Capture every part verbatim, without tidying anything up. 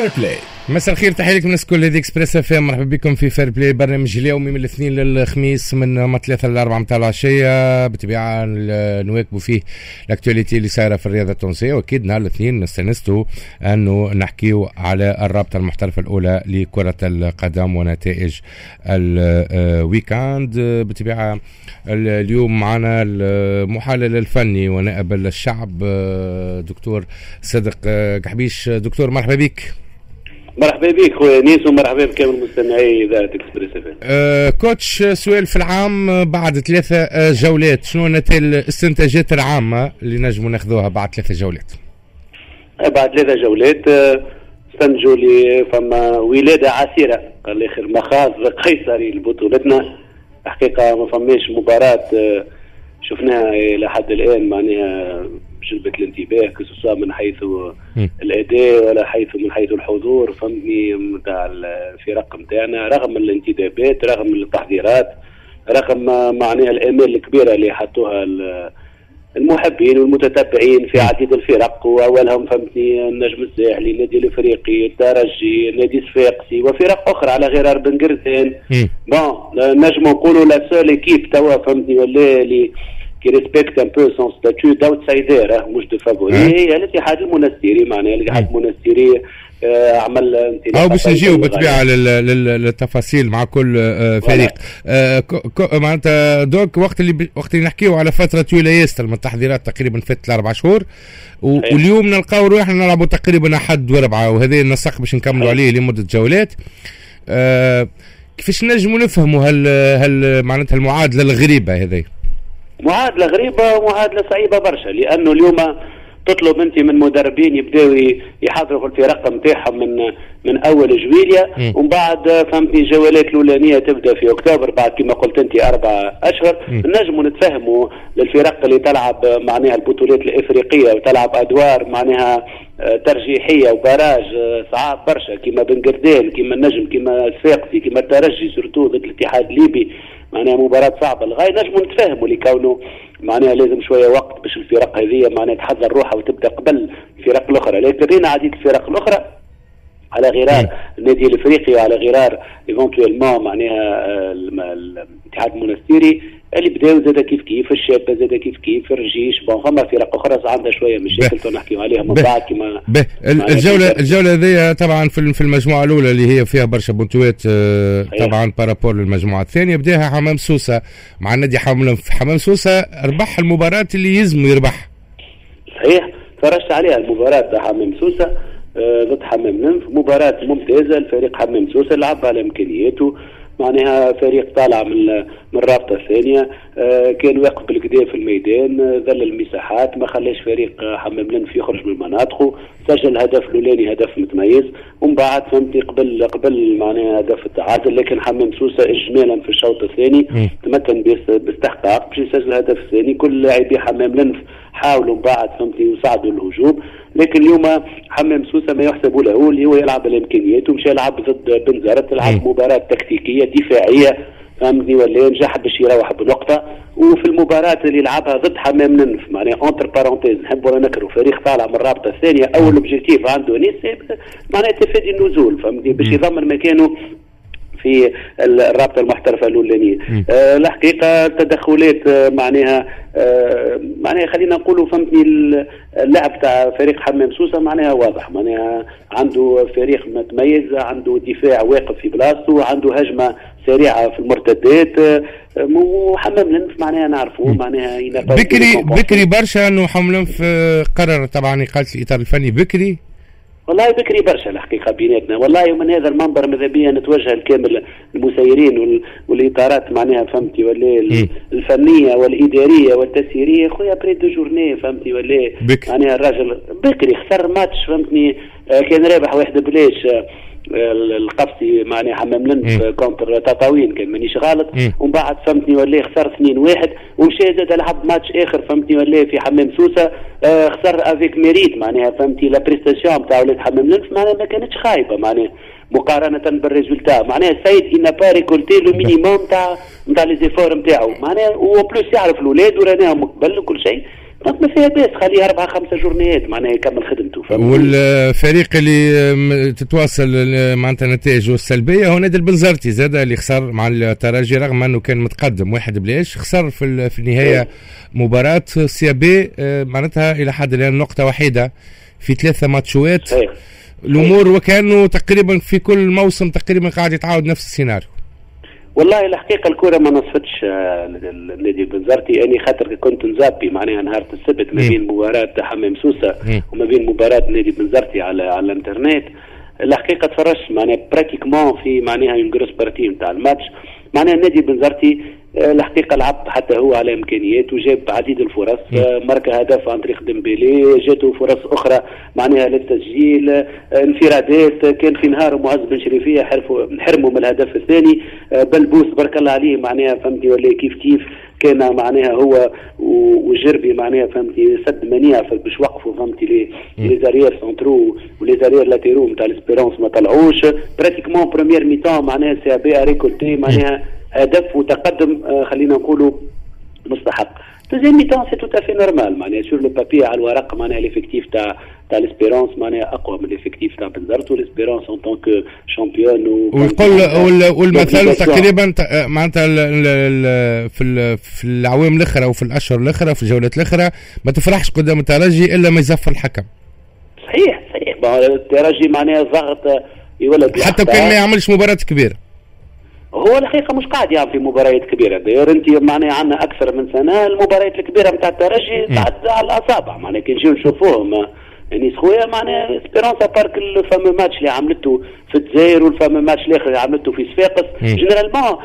Fair Play. مساء الخير، تحية لكم الناس الكل، هذه Express FM. مرحبا بكم في Fair Play، برنامج اليومي من الاثنين للخميس من ثلاثة لأربعة متاع العشية. بالطبيعة نواكبوا فيه l'actualité اللي صايرة في الرياضة التونسية، واكيد نهار الاثنين نستنستوا انه نحكيو على الرابطة المحترفة الأولى لكرة القدم ونتائج ال week-end. بالطبيعة اليوم معنا المحلل الفني ونائب الشعب دكتور صدق قحبيش. دكتور مرحبا بك. مرحبا بك خويا نيس، ومرحبا بكامل مستمعي اذاعة Express FM. أه coach، سؤال في العام، بعد ثلاثة جولات شنو نتائج الاستنتاجات العامة اللي نجموا ناخذوها بعد ثلاثة جولات؟ بعد ثلاثة جولات استنتجوا لي فما ولاده عسيرة الاخر، مخاض قيصري لبطولتنا. الحقيقة ما فماش مباراة شفناها الى حد الان معناها جلبت الانتباه، que ce soit من حيث الاداء ولا حيث من حيث الحضور، فهمتني، نتاع الفرق نتاعنا، رغم الانتدابات، رغم التحضيرات، رغم معناها الامال الكبيرة اللي حطوها المحبين والمتتبعين في عديد الفرق، واولهم فهمتني النجم الساحلي، النادي الافريقي، الترجي، النادي الصفاقسي وفرق اخرى على غرار بن قردان. bon، نجم نقولوا la seule équipe توا فهمتني ولا اللي qui respecte un peu son statut d'outsider مش de favori هي الاتحاد المنستيري. معناها الاتحاد المنستيري آه، عمل انطلاقة او باش نجيو بالطبيعة للتفاصيل مع كل آه، فريق. آه، معناتها donc وقت اللي وقت اللي نحكيو على فترة طويلة ياسر من التحضيرات، تقريبا فاتت الاربع شهور، واليوم نلقاو روحنا نلعبوا تقريبا احد واربعه، وهذا النسق باش نكملوا عليه لمدة جولات. آه كيفاش نجموا نفهموا هل هل معناتها المعادلة الغريبة هذه؟ معادلة غريبة ومعادله صعيبة برشا، لانه اليوم تطلب انت من مدربين يبداو يحضروا في الفرق نتاعهم من من اول جويليا، ومن بعد فهمتني الجولات الاولانية تبدا في اكتوبر، بعد كما قلت انت اربع اشهر. نجموا نتفهموا للفرق اللي تلعب معناها البطولات الافريقية وتلعب ادوار معناها آه، ترجيحيه و barrage آه، صعاب برشا، كيما بن قردان، كيما النجم، كيما الصفاقسي، كيما الترجي، surtout ضد الاتحاد الليبي، معناها مباراة صعبة للغاية. نجموا نتفاهموا لكونه معناها لازم شوية وقت باش الفرق هذه معناها تحضر روحها وتبدا قبل الفرق الأخرى، لكن رينا عديد الفرق الأخرى على غرار النادي الافريقي وعلى غرار éventuellement معناها آه، الاتحاد المونستيري اللي بداو زاد كيف كيف، الشابة زاد كيف كيف، الرجيش. bon، فما فرق اخرى عندها شوية مشاكل نحكيو عليها من بعد كما الجوله الجولة هذه طبعا في في المجموعة الاولى اللي هي فيها برشا بونتوات آه، طبعا par rapport للمجموعة الثانيه، بداها حمام سوسة مع النادي حمام حمام سوسه، ربح المباراة اللي يلزم يربح. صحيح، تفرجت عليها المباراة تاع حمام سوسة آه، ضد حمام لنف، مباراة ممتازة. الفريق حمام سوسة لعب على امكانياته، معناها فريق طالع من من الرابطة الثانيه، آه، كان واقف بالقدا في الميدان، آه، ذل المساحات، ما خلاش فريق حمام لنف يخرج من مناطقه. سجل الهدف الاولاني، هدف متميز، ومن بعد فهمتني قبل قبل معناها هدف التعادل، لكن حمام سوسة اجمالا في الشوط الثاني تمكن باستحقاق باش يسجل الهدف الثاني. كل لاعبي حمام لنف حاولوا من بعد فهمتني يصعدوا الهجوم، لكن اليوم حمام سوسة ما يحسب له اللي هو يلعب الامكانيات، ومشى يلعب ضد بنزرت، لعب مباراة تكتيكية دفاعية فهمتني ولا، نجح باش يروح بنقطه. وفي المباراة اللي لعبها ضد حمام لنف، معناها entre parenthèses، نحب ولا نكره، فريق طالع من الرابطة الثانيه، اول objectif عنده نيس معناها تفادي النزول، فهمتني، باش يضمن مكانه في الرابطة المحترفه الاولانية. آه الحقيقة التدخلات آه معناها آه معناها خلينا نقولوا فهمتني اللعب تاع فريق حمام سوسة معناها واضح، معناها عنده فريق متميز، عنده دفاع واقف في بلاصته، عنده هجمة سريعة في المرتدات. آه، وحمام لنف معناها نعرفوه معناها بكري بكري برشا انه حمام لنف قرر طبعا اقاله الاطار الفني بكري. والله بكري برشا الحقيقة بيناتنا. والله ومن هذا المنبر ماذا بيا نتوجه لكامل المسيرين والاطارات معناها فهمتي ولا الفنية والادارية والتسييريه، خويا après deux journées فهمتي ولا، معناها الراجل بكري، خسر ماتش فهمتني آه، كان رابح واحد بلاش آه، القفصي معناها حمام لنف contre تطاوين كان مانيش غلط، ومن بعد فهمتني ولا خسر اثنين واحد، ومشى زاد لعب ماتش اخر فهمتني ولا في حمام سوسه، آه، خسر avec mérite. معناها فهمتي la prestation تاع ولاد حمام لنف معناها ما كانتش خايبة معناها مقارنة بال résultat. معناها السيد il n'a pas récolté le minimum تاع نتاع les efforts نتاعو، معناها و en plus يعرف الاولاد وراناهم قبل وكل شيء، donc ما فيها باس خليه اربعة خمسة جورنيات معناها يكمل خدمته. والفريق اللي تتواصل معناتها نتائجه السلبية هو نادي البنزرتي زاد اللي خسر مع الترجي رغم انه كان متقدم واحد بلاش، خسر في في النهاية مباراة CAB معناتها الى حد الان نقطة وحيده في ثلاثة ماتشوات. الامور وكانه تقريبا في كل موسم تقريبا قاعد يتعاود نفس السيناريو. والله الحقيقة الكره ما نصفتش النادي البنزرتي، يعني خاطر كنت نزابي معناها نهار السبت ما بين مباراة حمام سوسة وما بين مباراة النادي البنزرتي على على الانترنت. الحقيقة تفرجت معناها pratiquement في معناها une grosse partie نتاع الماتش. معناها النادي البنزرتي الحقيقة لعب حتى هو على امكانياته، جاب عديد الفرص، ماركا هدف عن طريق ديمبيلي، جاته فرص اخرى معناها للتسجيل، انفرادات. كان في نهار معز بن شريفيه حرموا من الهدف الثاني، بلبوس بارك الله عليه معناها فهمتي ولا كيف كيف كان معناها هو وجربي معناها فهمتي سد منيع باش وقفوا فهمتي les les arrières centraux و les arrières latéraux نتاع l'Espérance ما طلعوش. pratiquement première mi-temps معناها CAB récolté معناها هدف وتقدم خلينا نقولوا مستحق. deuxième mi-temps c'est tout à fait normal معناها sur le papier على الورق معناها l'effectif تاع تاع l'Espérance معناها اقوى من l'effectif تاع بنزرت، و l'Espérance en tant que championne. ويقول والمثل تقريبا معناتها في في العوام الاخرى وفي الاشهر الاخرى في الجولات الاخرى ما تفرحش قدام الترجي الا ما يزفر الحكم. صحيح صحيح، الترجي معناها ضغط يولد حتى كان ما يعملش مباراة كبيرة. هو الحقيقة مش قاعد يعمل في مباريات كبيرة، d'ailleurs انت معناها عندنا اكثر من سنة المباريات الكبيرة نتاع الترجي تعد على الاصابع معناها كي نجيو نشوفوهم يعني خويا معناها Espérance à part le fameux match اللي عملته في الجزائر وال fameux match الاخر اللي عملته في صفاقس. généralement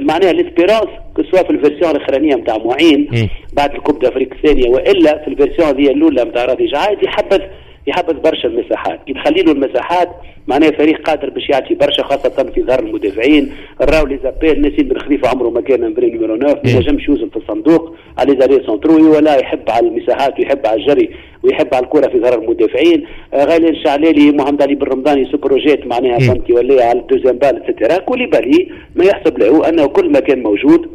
معناها l'Espérance que ce soit في ال version الاخرانية نتاع معين بعد ال Coupe d'Afrique الثانية والا في ال version هذه الاولى نتاع راضي جعايد يحبذ يحبذ برشا المساحات، كي تخلي له المساحات معناها فريق قادر باش يعطي برشا خاصة في ظهر المدافعين. راو les appels نسيم بن خليفة عمره ما كان vrai numéro تسعة، ما نجمش يوزن في الصندوق على les arrières centraux ولا يحب على المساحات ويحب على الجري ويحب على الكرة في ظهر المدافعين. غالي الشعلالي محمد علي بن رمضان se projette معناها فهمتي ولا على ال deuxième balle et cetera. كوليبالي ما يحسب له انه كل ما كان موجود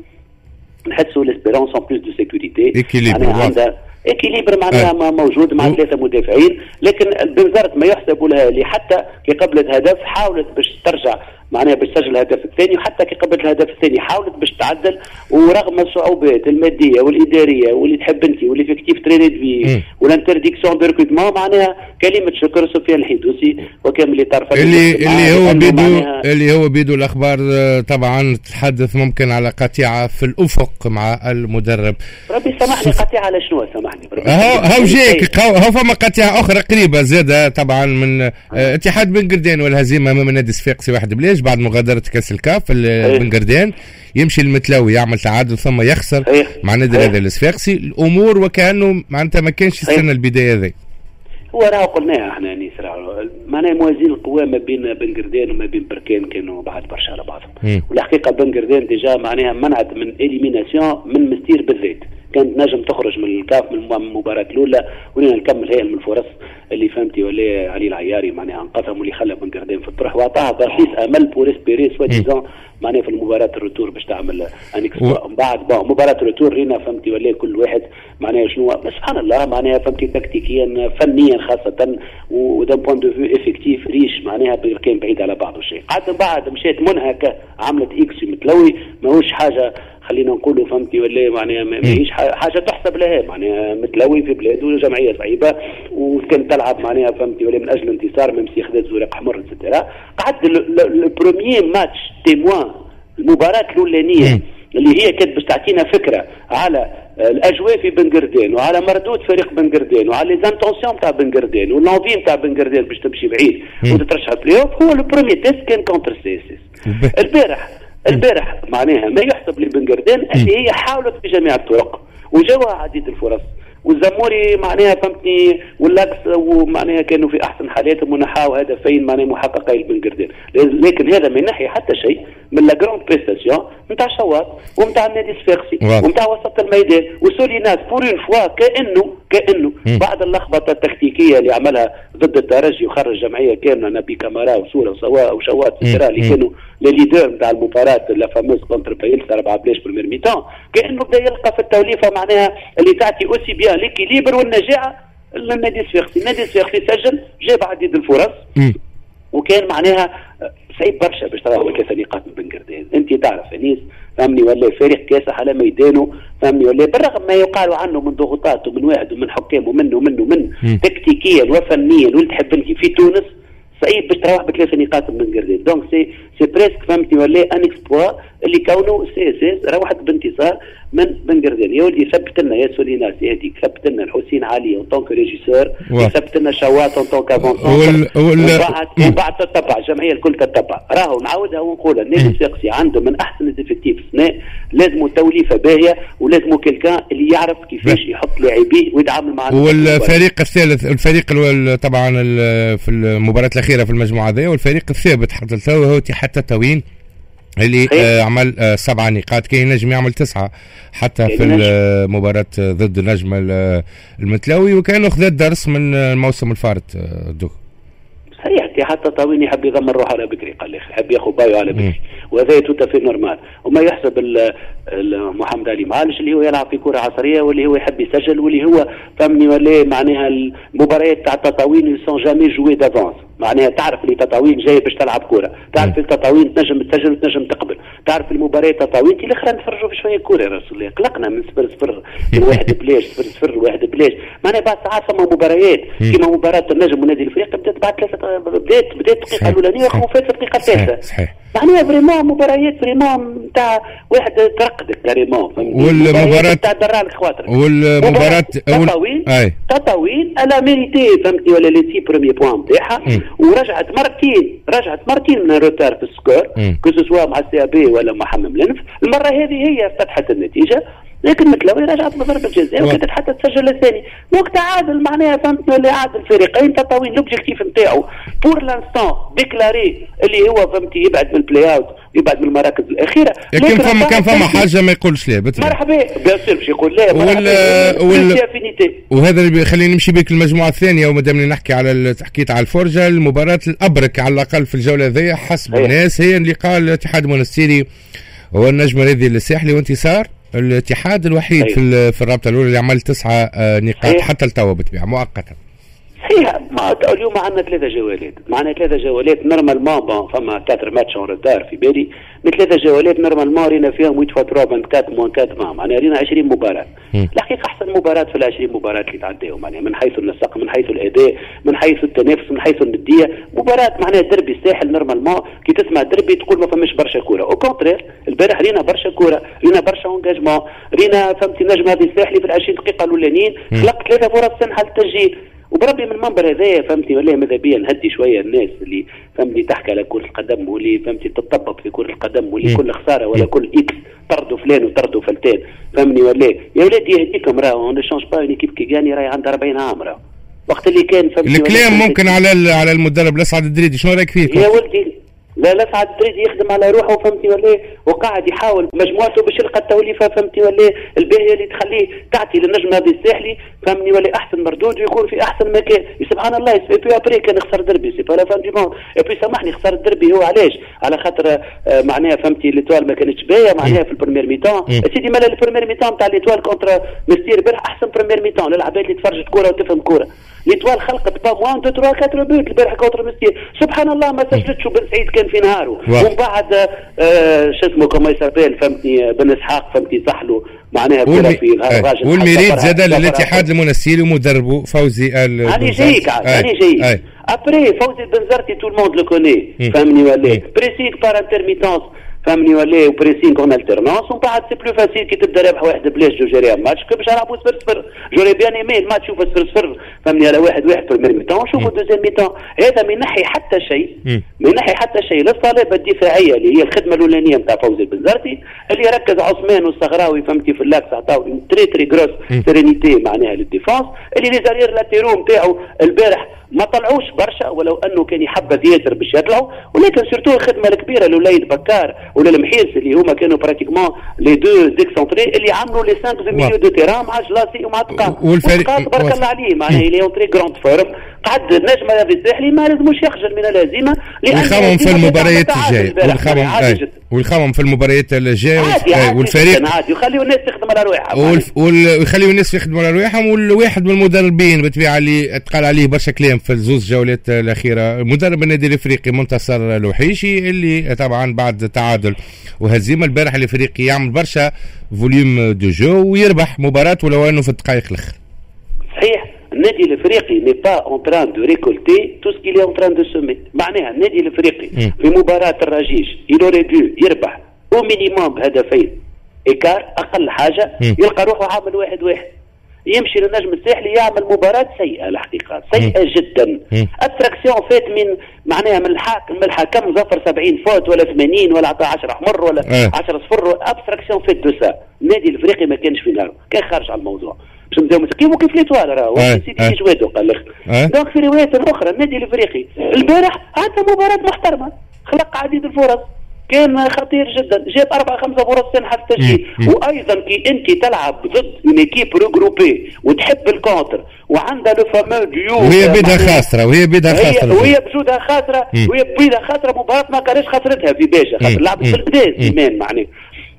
نحسوا l'Espérance en plus de sécurité معناها عندها équilibre معناها أه. موجود مع ثلاثة مدافعين. لكن بنزرت ما يحسب لها اللي حتى كي قبلت هدف حاولت باش ترجع معناها باش تسجل الهدف الثاني، وحتى كي قبلت الهدف الثاني حاولت باش تعدل، ورغم الصعوبات المادية والادارية واللي تحب انت و l'effectif très réduit وال interdiction de recrutement معناها كلمة شكر سفيان الحيدوسي وكامل طرف اللي اللي هو بيدو اللي هو بيدو الاخبار طبعا تتحدث ممكن على قطيعة في الافق مع المدرب. ربي سامحني قطيعة على شنو سامحني؟ هاو هاو جايك هاو فما قطيعة اخرى قريبه زاده طبعا من اتحاد بن قردان والهزيمة امام النادي الصفاقسي واحد بلاش بعد مغادرة كأس الكاف. بن قردان يمشي المتلاوي يعمل تعادل ثم يخسر مع النادي الرياضي الصفاقسي. الامور وكانه معناتها ما كانش يستنى البداية هذه. هو راه قلناها احنا انيس معناها موازين القوى ما بين بن قردان وما بين بركان كانوا بعد برشا على بعضهم. والحقيقة بن قردان déjà معناها منعت من élimination من مستير بالذات، كانت نجم تخرج من الكاف من المباراة الأولى ولينا نكمل هي من الفرص اللي فهمتي ولا علي العياري معناها انقذهم واللي خلى بن قردان في الطرح واعطاها بصيص امل pour espérer soi-disant معناها في المباراة ال retour باش تعمل un exploit. من بعد bon مباراة ال retour رينا فهمتي ولا كل واحد معناها شنو سبحان الله معناها فهمتي تكتيكيا فنيا خاصة و d'un point de vue effectif riche معناها كان بعيد على بعض الشيء. عاد بعد مشات منهكة عملت اكس متلوي ماهوش حاجة خلينا نقولوا فهمتي ولا معناها ماهيش حاجة تحسب لها معناها متلوي في بلاده جمعية صعيبة وكان تلعب معناها فهمتي ولا من اجل انتصار même si خذت زرق احمر et cetera. قعد le premier match témoin المباراة الاولانية اللي هي كانت باش تعطينا فكرة على الاجواء في بن قردان وعلى مردود فريق بن قردان وعلى les intentions تاع بن قردان و l'envie تاع بن قردان باش تمشي بعيد وتترشح بلاي اوف. هو le premier test كان contre CSS البارح. البارح معناها ما يحسب لبن قردان اللي هي حاولت بجميع الطرق وجاوها عديد الفرص والزموري معناها فهمتني واللاكس ومعناها كانوا في احسن حالاتهم ونحاو هدفين معناها محققين لبن قردان، لكن هذا ما ينحي حتى شيء من la grande prestation نتاع شواط ونتاع النادي الصفاقسي ونتاع وسط الميدان وسوليناس pour une fois كانه كانه بعد اللخبطة التكتيكيه اللي عملها ضد الترجي وخرج جمعية كاملة نبي كامارا وسورة وسواء وشواط اللي كانوا les leaders نتاع المباراة la fameuse contre بايلسا أربعة بلاش première mi-temps، كانه بدا يلقى في التوليفه معناها اللي تعطي aussi bien l'équilibre والنجاعه النادي الصفاقسي. النادي الصفاقسي سجل، جاب عديد الفرص م. وكان معناها صعيب برشا باش تراوح ثلاثة نقاط من بن قردان. انت تعرف انيس فهمني ولا فريق كاسح على ميدانه فهمني ولا، بالرغم ما يقال عنه من ضغوطات ومن واحد ومن حكام ومن ومن ومن تكتيكيا وفنيا واللي تحب انت في تونس صعيب باش تروح بثلاثة نقاط من بن قردان. donc c'est c'est presque فهمتني ولا un exploit اللي كونه CSS روحت بانتصار من بن قردان. يا ولدي ثبت لنا يا سوليناس يهديك، ثبت لنا الحسين علي en tant que régisseur، ثبت لنا شوات en tant qu'avant-centre، وبعد وبعد تتبع الجمعية الكل تتبع. راهو نعاودها ونقولها، النادي الصفاقسي عنده من احسن ال effectifs السنة، لازم توليفة باهيه ولازم quelqu'un اللي يعرف كيفاش يحط لاعبيه ويتعامل مع والفريق الثالث، الفريق طبعا في المباراة الاخيرة في المجموعة ذي، والفريق الثابت حتى التو هو اتحاد تطاوين اللي آه عمل آه سبعة نقاط، كان ينجم يعمل تسعة حتى في المباراة ضد النجم المتلاوي، وكان خذ الدرس من الموسم الفارط. دوك صحيح اتحاد تطاوين يحب يضمن روحه على بكري، قال لي يحب ياخذ بايو على بكري، وهذا tout à fait normal. وما يحسب محمد علي معالج اللي هو يلعب في كره عصرية واللي هو يحب يسجل واللي هو فهمني ولا معناها المباريات تاع تطاوين sont jamais jouées d'avance، معناها تعرف اللي تطاوين جاي باش تلعب كره، تعرف اللي تطاوين تنجم تسجل وتنجم تقبل، تعرف المباريات تطاوين كي الاخرى نتفرجوا في شوية كره يا رسول الله، قلقنا من صفر صفر من واحد بلاش صفر صفر واحد بلاش، معناها بعد ساعات فما مباريات كيما مباراة النجم والنادي الافريقي بدات بعد ثلاثة، بدات بدات الدقيقة الاولانية وفات في الدقيقة الثالثة. صحيح معناها vraiment مباريات vraiment نتاع واحد ترقدك carrément، والمباراة تاع درالك خواطرك، والمباراة تطاوين تطاوين elle a mérité فهمتني ولا les six premiers points نتاعها، ورجعت مرتين رجعت مرتين من retard في ال score que ce soit مع ال CAB ولا مع حمام الانف. المرة هذه هي فتحت النتيجة، لكن متلوي رجعت بضربة جزاء وكانت حتى تسجل الثاني، donc تعادل معناها فهمتني اللي عادل الفريقين. تطاوين l'objectif نتاعو pour l'instant déclaré اللي هو فهمتي يبعد من ال play-out، يبعد من المراكز الاخيرة، لكن فما كان فما حاجة ما يقولش لا مرحبا bien sûr باش يقول لا وال وال وهذا اللي خليني نمشي بك المجموعة الثانية، ومادام نحكي على حكيت على الفرجة، المباراة الابرك على الاقل في الجولة ذي حسب الناس هي لقاء الاتحاد المونستيري والنجم الرياضي الساحلي، وانتصار الاتحاد الوحيد أيوه. في في الرابطة الاولى اللي عمل تسعة نقاط أيوه. حتى التوا بالطبيعة مؤقتا. صحيح اليوم عندنا ثلاثة جولات، معنا ثلاثة جولات normalement bon فما quatre matchs en retard في بالي، من ثلاثة جولات normalement رينا فيهم ثمانية fois ثلاثة أربعة moins أربعة، معناها رينا عشرين مباراة. الحقيقة احسن مباراة في العشرين مباراة اللي تعداو، معناها من حيث النسق، من حيث الاداء، من حيث التنافس، من حيث الندية، مباراة معناها دربي الساحل normalement كي تسمع دربي تقول ما فماش برشا كورة، au contraire البارح رينا برشا كورة، رينا برشا engagement، رينا فهمتي النجم هذا الساحلي في العشرين دقيقة الاولانيين خلق ثلاثة فرص سنحه للتسجيل. وبربي من المنبر هذايا فهمتي ولا ماذا بيا نهدي شوية الناس اللي فهمتي تحكي على كره القدم واللي فهمتي تطبب في كره القدم واللي كل خسارة ولا كل X طردوا فلان وطردوا فلتان فهمني ولا يا ولادي يهديكم، راهو on change pas une équipe qui gagne راهي عندها أربعين عام، راهو وقت اللي كان فهمتي الكلام ممكن على على المدرب لسعد الدريدي، شنو رايك فيه؟ يا ولدي لا لسعد الدريدي يخدم على روحه فهمتي ولا، وقاعد يحاول مجموعته باش يلقى التوليفه فهمتي ولا الباهيه اللي تخليه تعطي للنجم هذا الساحلي فهمني ولا احسن مردود ويكون في احسن مكان. سبحان الله et puis après كان خسر دربي c'est pas la fin du monde، et puis سامحني خسر الدربي هو علاش؟ على خاطر معناها فهمتي l'Étoile ما كانتش باهيه معناها في ال première mi-temps. سيدي مالا ال première mi-temps تاع l'Étoile contre مستير البارح احسن première mi-temps للعباد اللي تفرجت كورة وتفهم كورة. l'Étoile خلقت pas moins de ثلاثة أربعة buts البارح contre مستير، سبحان الله ما سجلتش وبن سعيد كان في نهاره، ومن بعد آه شو اسمه comment il s'appelle فهمتني بن اسحاق فهمتي صحلو معناها كره في الراجل. وال mérite زاد للاتحاد المنستيري ومدربه فوزي ال هاني جايك هاني جايك après فوزي البنزرتي tout le monde le connaît فهمني ولا pressing par intermittence فهمني ولا و pressing en alternance، ومن بعد c'est plus facile كي تبدا رابح واحد بلاش de gérer match كي باش نلعبوا صفر صفر. j'aurais bien aimé الماتش يشوف صفر صفر فهمني على واحد واحد première mi-temps شوفوا deuxième mi-temps. هذا ما ينحي حتى شيء، ما ينحي حتى شيء للصلابه الدفاعية اللي هي الخدمة الاولانية نتاع فوزي البنزرتي اللي ركز عثمان والصغراوي فهمتي في l'axe عطاو très très grosse sérénité معناها لل défense، اللي les arrières latéraux نتاعو البارح ما طلعوش برشا ولو انه كان يحبذ ياسر باش يطلعوا، ولكن surtout الخدمة الكبيرة لوليد بكار وللمحيرس اللي هما كانوا pratiquement les deux excentrés اللي عملوا les cinq de milieu de terrain مع جلاسي ومع تقا. والفريق تبارك الله عليه معناها il est en très grande forme. قعد النجم الرياضي الساحلي ما لازموش يخجل من الهزيمة، ويخمم في المباريات الجاية، ويخمم ويخمم في المباريات الجاية. والفريق عادي ويخليوا الناس تخدم على رواحهم، ويخليوا الناس يخدموا على رواحهم. والواحد من المدربين بالطبيعة اللي تقال عليه برشا كلام في الزوز جولات الاخيرة، مدرب النادي الافريقي منتصر الوحيشي، اللي طبعا بعد تعادل وهزيمة البارح الافريقي يعمل برشا volume de jeu ويربح مباراة ولو انه في الدقائق الاخر. صحيح، النادي الافريقي n'est pas en train de récolter tout ce qu'il est en train de semer. معناها النادي الافريقي في مباراة الرجيش il aurait dû يربح au minimum بهدفين écart اقل حاجة، م. يلقى روحه عامل واحد واحد. يمشي للنجم الساحلي يعمل مباراة سيئة الحقيقة، سيئة م. جدا. abstraction faite من معناها من الحاكم من الحكم ظفر سبعين fautes ولا ثمانين ولا عطى عشرة حمر ولا عشرة صفر، abstraction faite de ça. النادي الافريقي ما كانش في نارو، كان خارج على الموضوع باش نبداو كيف كيف l'Étoile راهو سيدي جوادو قال لك. donc في روايات اخرى النادي الافريقي البارح عطى مباراة محترمة، خلق عديد الفرص، كان خطير جدا، جاب أربعة خمسة فرص سانحة في التسجيل. وأيضا كي أنت تلعب ضد une équipe regroupée وتحب ال contre وعندها le fameux duo، وهي بيدها خاسرة، وهي بيدها خاسرة، وهي بجودها خاسرة، وهي بيدها خاسرة مباراة ما كانش خسرتها في باجة، خاطر لعبت في البداية سليمان معناها.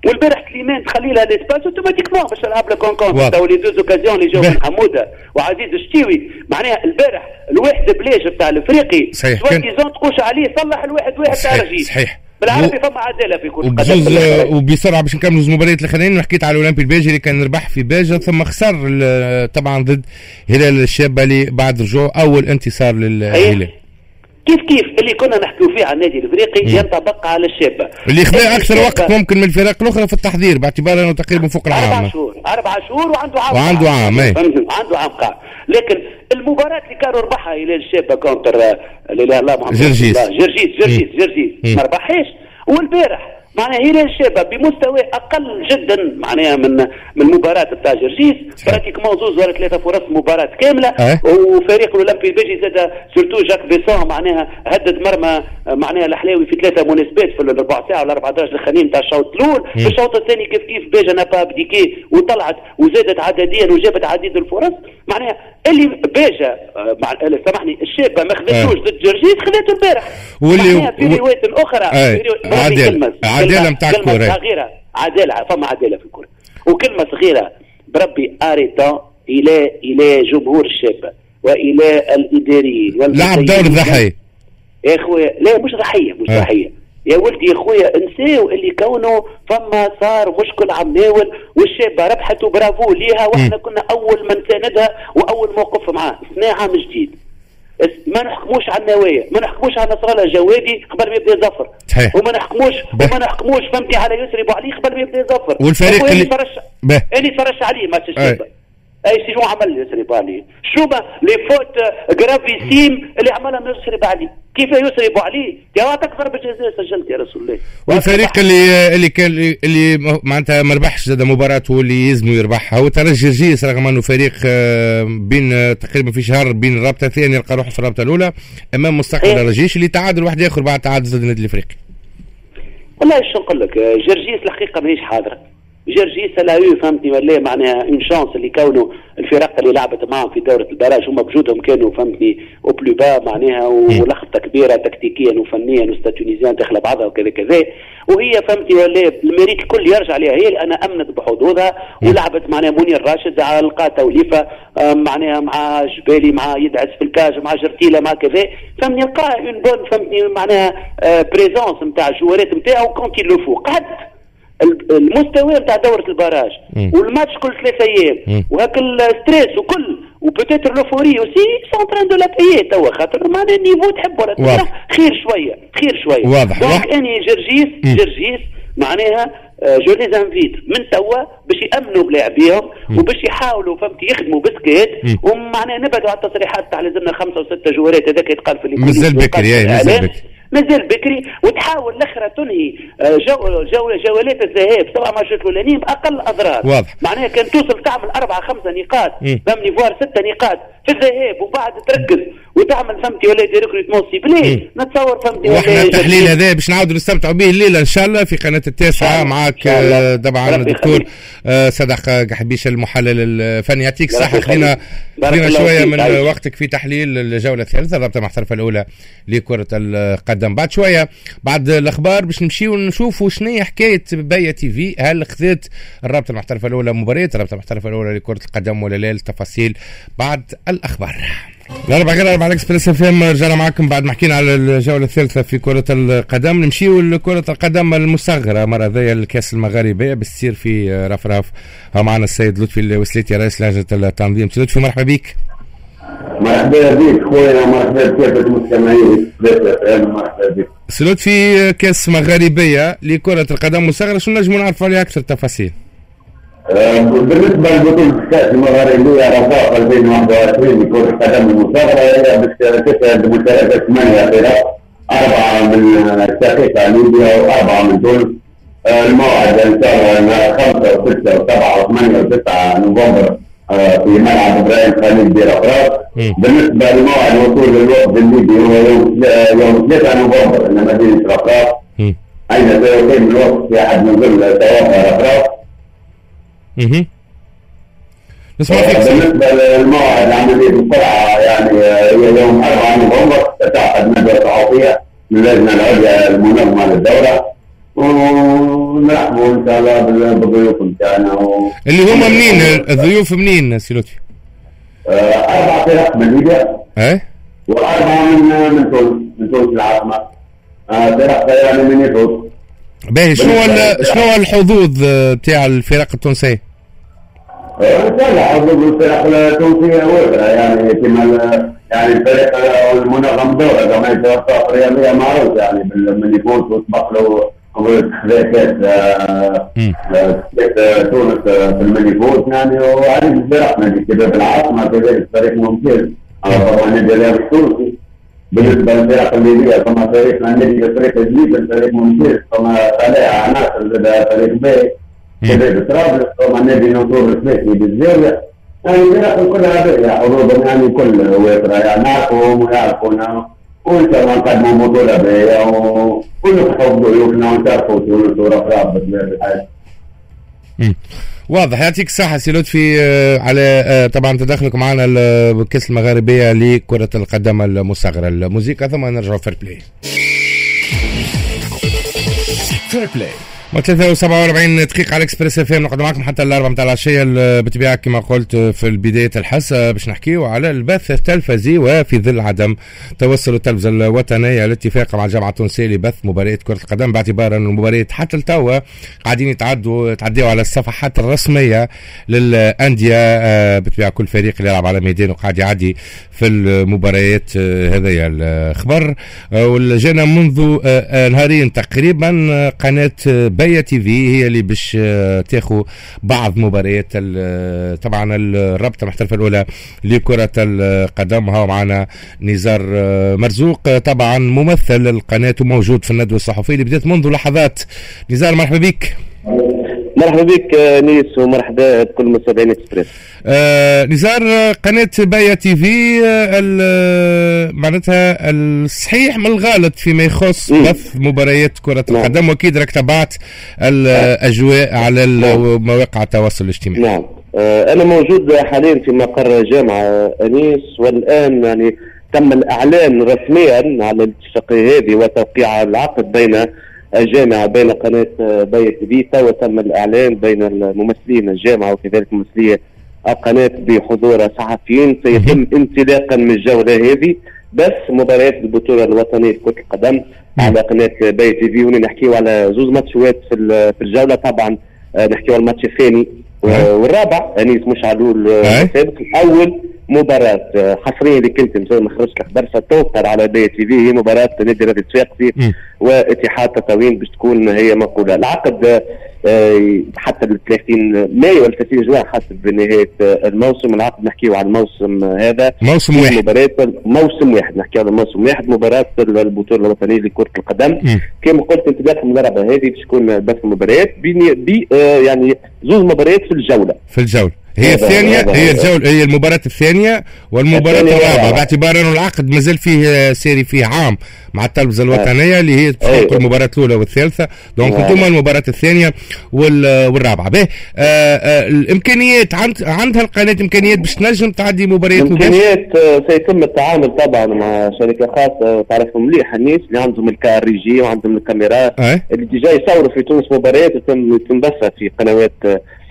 والبارح سليمان تخلي لها l'espace automatiquement باش تلعب لك en contre. تو les deux occasions اللي جاو من حموده وعزيز الشتيوي، معناها البارح الواحد بلاش بتاع الافريقي soi-disant تقوش عليه صلح الواحد واحد تاع رجيش. صحيح بالعربي و... فما عدالة في كل قدم. وبسرعة باش نكملوا المباريات الاخرين، حكيت على الاولمبي الباجي اللي كان ربح في باجه ثم خسر طبعا ضد هلال الشابة اللي بعد رجوع اول انتصار للهلال. كيف كيف اللي كنا نحكيو فيه على النادي الافريقي ينطبق على الشابة اللي خذا اكثر وقت ممكن من الفرق الاخرى في التحضير باعتبار انه تقريبا فوق العام. اربع شهور اربع شهور وعنده عام وعنده عام اي عنده عام قاع. لكن المباراة اللي كانوا ربحها هلال الشابة contre لا لا محمد جرجيس جرجيس جرجيس جرجيس ما ربحهاش. والبارح معناها هلال الشابة بمستوى اقل جدا معناها من من المباراة بتاع جرجيس، pratiquement زوز ولا ثلاثة فرص مباراة كاملة. أه؟ وفريق الاولمبي البيجي زاد surtout جاك بيسون معناها هدد مرمى معناها الحلاوي في ثلاثة مناسبات في الربع ساعة ولا أربعة عشر الاخرين تاع الشوط الاول. في الشوط الثاني كيف كيف باجا n'a pas abdiqué وطلعت وزادت عدديا وجابت عديد الفرص. معناها اللي باجا مع سامحني الشابة ما خذتوش ضد جرجيس خذته البارح. واللي في روايات اخرى عدالة عدالة نتاع الكره صغيرة، عدالة فما عدالة في الكره. وكلمه صغيرة بربي arrêtons الى الى جمهور الشابة والى الاداريين لعب دور الضحية يا خويا. لا مش ضحية مش ضحية يا ولدي يا خويا، انساو اللي كونه فما صار مشكل عمناول والشابة ربحت وبرافو ليها، واحنا كنا اول من ساندها واول موقف معاه. سنة عام جديد ما نحكموش على النوايا، ما نحكموش على نصر الله جوادي قبل ما يبدا يظفر، وما نحكموش وما نحكموش فهمتي على يسري بوعلي قبل ما يبدا يظفر. والفريق اللي فرش اللي فرش عليه ماتش الشابة اي شنو عمل يسري بوعلي؟ شنو les fautes gravissimes اللي عملها يسري بوعلي؟ كيف يسري بوعلي؟ يا عطاك ضربه جزاء سجلت يا رسول الله. والفريق اللي اللي كان اللي معناتها ما ربحش زاد مباراته اللي يلزمو يربحها هو ترجي جرجيس، رغم انه فريق بين تقريبا في شهر بين الرابطة الثانية يلقى روحه في الرابطة الاولى امام مستقبل الرجيش اللي تعادل واحد اخر بعد تعادل ضد النادي الافريقي. والله شو نقول لك، جرجيس الحقيقة ماهيش حاضره. جرجيس لا يو فهمتني ولا معناها une chance اللي كونوا الفرق اللي لعبت معهم في دوره ال barrage هما بجودهم كانوا فهمتني au plus bas معناها، ولخبطه كبيرة تكتيكيا وفنيا و Stade Tunisien داخله بعضها وكذا كذا. وهي فهمتني ولا ال mérite الكل يرجع لها هي لان امنت بحظوظها ولعبت معناها منير راشد على لقى توليفة معناها مع جبالي مع يدعس في ال cage مع جرتيله مع كذا فهمتني لقى une bonne فهمتني معناها présence نتاع الجوارات نتاعو quand il le faut. قعدت المستوى نتاع دورة ال barrage والماتش كل ثلاثة ايام وهاك ال stress وكل و peut-être l'euphorie aussi sont en train de la payer توا، خاطر معناها ال niveau تحب ولا تكره خير شوية خير شوية. واضح. donc اني جرجيس جرجيس معناها je les invite من توا باش يامنوا بلاعبيهم وباش يحاولوا فهمتي يخدموا بسكات، ومعناها نبعدوا على التصريحات تاع لازمنا خمسة وستة جوارات هذاك يتقال في مازال بكري مازال بكري. مازال بكري، وتحاول الاخرى تنهي جو جو جولات الذهاب سبع ماتشات الاولانيين باقل اضرار. واضح. معناها كان توصل تعمل اربعة خمسة نقاط فهمني voire ستة نقاط في الذهاب وبعد تركز وتعمل فهمتي ولا des recrutements ciblés، نتصور فهمتي. واحنا التحليل هذا باش نعاودوا نستمتعوا به الليلة ان شاء الله في قناة التاسعة معك طبعا الدكتور صدق قحبيش المحلل الفني. يعطيك الصحة، خلينا خلينا شوية من وقتك في تحليل الجولة الثالثة الرابطة المحترفه الاولى لكرة القدم. بعد شوية بعد الاخبار باش نمشيو نشوفوا شنو هي حكاية بيا تي في، هل خذت الرابطة المحترفه الاولى مباريات الرابطة المحترفه الاولى لكرة القدم ولا لا؟ التفاصيل بعد الاخبار. الأربعة غير أربعة اكسبريس اف ام، رجعنا معكم بعد ما حكينا على الجولة الثالثة في كرة القدم. نمشيو لكرة القدم المصغرة مرة ذي الكأس المغاربية باش تصير في رفراف. معنا السيد لطفي الوسليتي رئيس لجنة التنظيم. سيد لطفي مرحبا بك. مرحبا بك خويا، مرحبا بكافة المستمعين اكسبريس اف ام، مرحبا بك. سي لطفي، كأس مغاربية لكرة القدم المصغرة، شنو نجمو نعرفوا عليها أكثر تفاصيل؟ بالنسبة لبطولة الكأس المغاربية رفاق ألفين وواحد وعشرين لكرة القدم المصغرة، هي باش تشهد مشاركة ثمانية فرق، أربعة من الشقيقة ليبيا وأربعة من تونس. الموعد إن شاء الله خمسة وستة وسبعة وثمانية وتسعة نوفمبر في ملعب إبراهيم خليل برفراف. بالنسبة لموعد وصول الوفد الليبي هو يوم يوم ثلاثة نوفمبر إلى مدينة رفراف، أين سيقيم الوفد في أحد نزل توافى رفراف. اها نسمع فيك. بالنسبة للموعد عملية القرعة يعني هي يوم أربعة نوفمبر ستعقد ندوه صحفية من اللجنة العليا المنظمة للدورة، ونرحبوا ان شاء الله بالضيوف نتاعنا و... اللي هما منين الضيوف منين سي لطفي؟ اربع فرق من ليبيا ايه واربعة من من تونس، من تونس العاصمة، فرق يعني من يفوز. باهي، شنو شنو الحظوظ تاع الفرق التونسية؟ ان شاء الله حظوظ الفرق التونسية وافرة، يعني كما يعني الفريق المنظم دوره جمعية الوفاق الرياضية معروف يعني من يفوز وسبق له كاس كاس تونس في المليفوت يعني، وعديد الفرق نادي شباب العاصمة كذلك فريق ممتاز طبعا نادي الرياضي التونسي. بالنسبة للفرق الليبية فما فريق النادي الافريقي الجديد فريق ممتاز، فما طلائع عناصر فريق باهي، كذلك طرابلس، فما نادي نصور الثلاثي بالزاوية. يعني الفرق كلها باهيه حظوظهم يعني كل وافرة، يعني نعرفوهم ويعرفونا، وان شاء الله نقدموا بطوله باهيه ونفرحوا بضيوفنا ونشرفوا تونس ورفراف بطبيعة الحال. واضح، يعطيك الصحة سي لطفي على طبعا تدخلك معنا الكأس المغاربية لكرة القدم المصغرة. الموسيقى ثم نرجعوا Fair Play. Fair Play ثلاثة وسبعة وأربعين دقيقة على اكسبريس اف ام، نقعد معكم حتى الأربعة متاع العشية. بالطبيعة كما قلت في بداية الحصة باش نحكيو على البث التلفزي، وفي ظل عدم توصل التلفزة الوطنية الاتفاق مع الجامعة التونسية لبث مباريات كرة القدم، باعتبار أن المباريات حتى لتوا قاعدين يتعدوا يتعدوا على الصفحات الرسمية للأندية. بالطبيعة كل فريق اللي يلعب على ميدانه قاعد يعدي في المباريات. هذايا الخبر والجانا منذ نهارين تقريبا قناة بيا تي في هي اللي باش تاخو بعض مباريات طبعا الرابطة المحترفه الاولى لكرة القدم. ها معنا نزار مرزوق طبعا ممثل القناة وموجود في الندوة الصحفية اللي بدات منذ لحظات. نزار مرحبا بك. مرحبا بك نيس ومرحبا بكل مستمعين اكسبريس. آه نزار، قناة بايا تي في معناتها الصحيح من الغلط فيما يخص بث مباريات كرة القدم، واكيد راك تبعت الاجواء على مواقع التواصل الاجتماعي. نعم، آه انا موجود حاليا في مقر جامعة انيس، والان يعني تم الاعلان رسميا على الاتفاقية هذه وتوقيع العقد بين الجامعة بين قناة بايا تي في. توا تم الإعلان بين الممثلين الجامعة وكذلك ممثلي القناة بحضور صحفيين. سيتم انطلاقا من الجولة هذه بس مباريات البطولة الوطنية لكرة القدم على قناة بايا تي في. هنا نحكيو على زوز ماتشات في الجولة، طبعا نحكيو على الماتش الثاني والرابع يعني مش على السابق. الأول مباراة حصرية اللي كنت مازال ما خرجت الخبر ستنقل على باية تي في، هي مباراة نادي الرياضي الصفاقسي واتحاد تطاوين باش تكون هي منقوله. العقد حتى ال ثلاثين مايو ولا ثلاثين جوان حسب نهاية الموسم. العقد نحكيو على الموسم هذا، موسم واحد، مباراة موسم واحد، نحكيو على موسم واحد، مباراة البطولة الوطنية لكرة القدم. كما قلت انطلاق الملعبه هذه باش تكون بث المباريات بي يعني زوج مباريات في الجولة، في الجولة هي الثانية، هي الجولة، هي المباراة الثانية والمباراة الرابعة، باعتبار أنه العقد مازال فيه ساري فيه عام مع التلفزة الوطنية اللي هي تفوق المباراة الأولى والثالثة، donc انتم المباراة الثانية والرابعة. به آه آه الإمكانيات عند عندها القناة إمكانيات باش تنجم تعدي مباريات مباشرة؟ إمكانيات سيتم التعامل طبعا مع شركة خاصة تعرفهم مليح الناس اللي عندهم ال car régie وعندهم الكاميرات اللي déjà يصوروا في تونس مباريات وتم يتم بثها في قنوات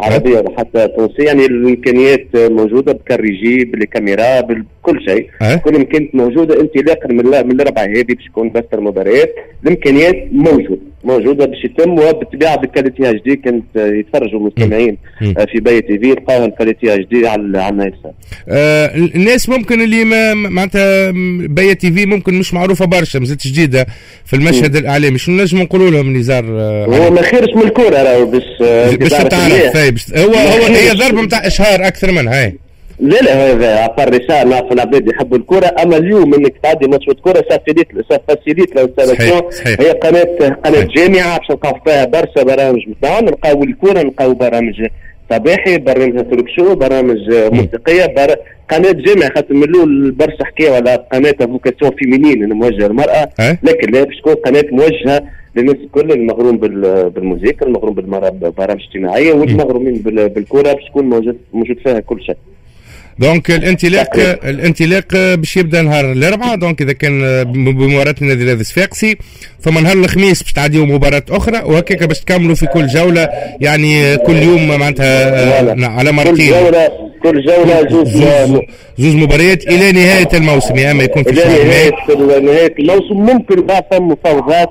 عربية وحتى تونسية. يعني الامكانيات موجودة بال car régie بالكاميرا بكل شيء، أه؟ كل امكانيات موجودة انطلاقا من من الاربعة هذه باش يكون بث المباريات. الامكانيات موجودة موجودة باش يتم، وبالطبيعه بال qualité HD كانت يتفرجوا المستمعين في باية تي في يلقاوها ال qualité HD على على الناس. آه الناس ممكن اللي ما معناتها باية تي في ممكن مش معروفة برشا، مازالت جديدة في المشهد م. الاعلامي، شنو نجم نقولوا لهم نزار؟ آه هو ما خيرش من الكورة راهو باش باش تعرف، هو هو هي ضربه نتاع اشهار اكثر منها. هاي لا لا هذا à part ريشار نعرفوا العباد يحبوا الكره، اما اليوم انك تعدي ماتش كره ça facilite ça facilite l'installation. هي قناة قناة جامعه باش نلقاو فيها برشا برامج نتاعنا، نلقاو الكره، نلقاو برامج صباحي، برامج talk show، برامج موسيقية، بر... قناة جامعه. خاطر من الاول برشا حكاية على قناة vocation féminine موجهة للمراة، لكن لا باش تكون قناة موجهة للناس الكل، المغروم بالموسيقى، المغروم بالبرامج الاجتماعية، والمغرومين بالكرة، باش تكون موجود موجود فيها كل شيء. donc الانطلاق الانطلاق باش يبدا نهار الاربعاء، donc اذا كان بمباراة النادي الرياضي الصفاقسي، ثم نهار الخميس باش تعديوا مباراة اخرى، وهكاك باش تكملوا في كل جولة، يعني كل يوم معناتها على مرتين، كل جولة كل جولة زوز زوز مباريات الى نهاية الموسم، يا اما يكون في الى نهاية نهاية الموسم. ممكن بعد ثم مفاوضات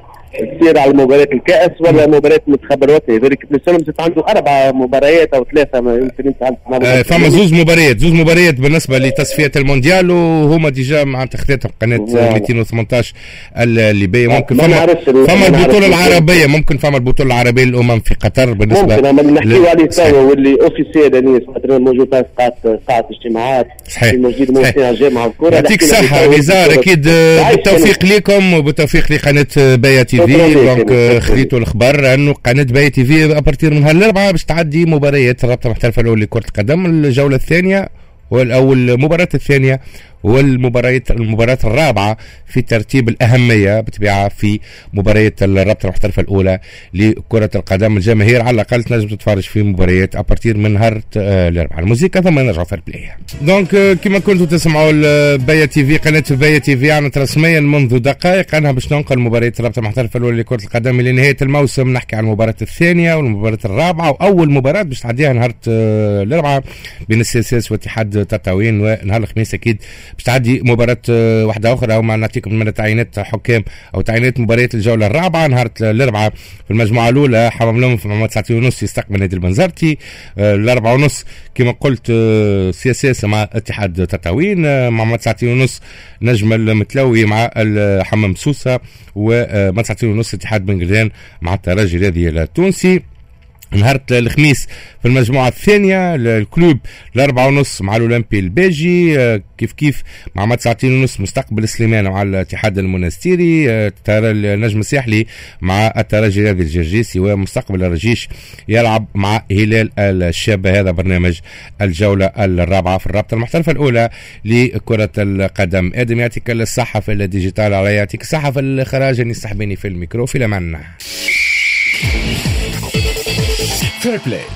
تصير على مباريات الكأس ولا مباريات المنتخب الوطني، ذلك بن عنده أربع مباريات أو ثلاثة، ما يمكن أنت عندك فما زوز مباريات، زوز مباريات بالنسبة لتصفية المونديال، وهما déjà معناتها خذتهم قناة مئتين وثمانطاش الليبية. ممكن فما فما البطولة العربية، ممكن فما البطولة العربية للأمم في قطر بالنسبة ممكن أما نحكيو عليه توا واللي officiel يعني موجود في قاعة قاعة اجتماعات صحيح موجود موجود الجامعة الكرة. يعطيك الصحة نزار، أكيد بالتوفيق لكم وبالتوفيق لقناة باية تي في. donc خذيتوا الخبر انه قناة باية تي في à partir من نهار الاربعاء باش تعدي مباريات الرابطة المحترفه الاولى لكرة القدم، الجولة الثانية او المباراة الثانية والمباريات المباراة الرابعة في ترتيب الأهمية بالطبيعة في مباريات الرابطة المحترفة الأولى لكرة القدم. الجماهير على الأقل تنجم تتفرج في مباريات à partir من نهار الأربعاء. الموسيقى ثم نرجعوا في البلاي. donc كما كنتوا تسمعوا باية تي في، قناة باية تي في أعلنت رسميا منذ دقائق أنها باش تنقل مباريات الرابطة المحترفة الأولى لكرة القدم إلى نهاية الموسم. نحكي عن المباراة الثانية والمباراة الرابعة، وأول مباراة باش تعديها نهار الأربعاء بين ال CSS واتحاد تطاوين، ونهار الخميس أكيد باش تعدي مباراة واحدة أخرى، أو ما نعطيكم من تعيينات حكام أو تعيينات مباريات الجولة الرابعة نهار الأربعاء. في المجموعة الأولى حمام لوم في مع تسعة ونص يستقبل نادي البنزرتي، الأربعة ونص كما قلت CSS مع اتحاد تطاوين، مع تسعة ونص نجم المتلوي مع الحمام سوسة، ومع تسعة ونص اتحاد بن مع الترجي الرياضي التونسي. نهار الخميس في المجموعة الثانية ال Club الأربعة ونص مع الأولمبي الباجي، كيف كيف مع ما تسعتين ونص مستقبل سليمان مع الاتحاد المونستيري، النجم الساحلي مع الترجي الرياضي الجرجيسي، ومستقبل الرجيش يلعب مع هلال الشابة. هذا برنامج الجولة الرابعة في الرابطة المحترفة الأولى لكرة القدم. آدم يعطيك الصحة في ال digital، علي يعطيك الصحة في الإخراج، يستحبني في الميكرو. في الأمان. Fair Play.